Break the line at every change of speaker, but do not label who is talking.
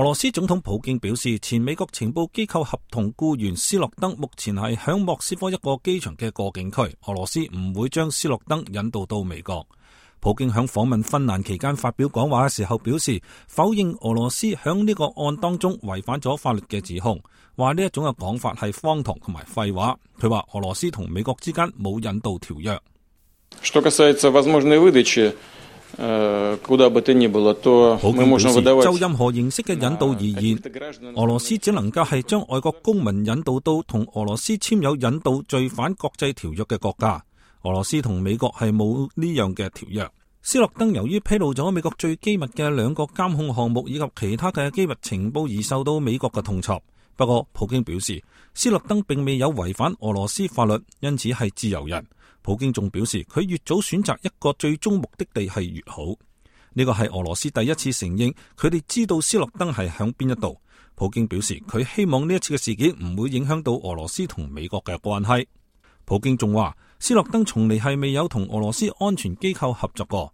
俄羅斯總統普京表示，前美國情報機構合同僱員斯諾登目前係響莫斯科一個機場嘅過境區，俄羅斯唔會將斯諾登引渡到美國。普京響訪問芬蘭期間發表講話嘅時候表示，否認俄羅斯響呢個案當中違反咗法律嘅指控，話呢一種嘅講法係荒唐同埋廢話。佢話俄羅斯同美國之間冇引渡條約。就任何形式嘅引渡而言，俄羅斯只能夠係將外國公民引渡到同俄羅斯簽有引渡罪犯國際條約嘅國家。俄羅斯同美國係冇呢樣嘅條約。斯諾登由於披露咗美國最機密嘅2個監控項目以及其他嘅機密情報而受到美國嘅痛挫。不過普京表示，斯諾登並未有違反俄羅斯法律，因此係自由人。普京仲表示，佢越早選擇一個最終目的地係越好。呢個係俄羅斯第一次承認佢哋知道斯諾登係響邊一度。普京表示，佢希望呢一次嘅事件唔會影響到俄羅斯同美國嘅關係。普京仲話，斯諾登從嚟係未有同俄羅斯安全機構合作過，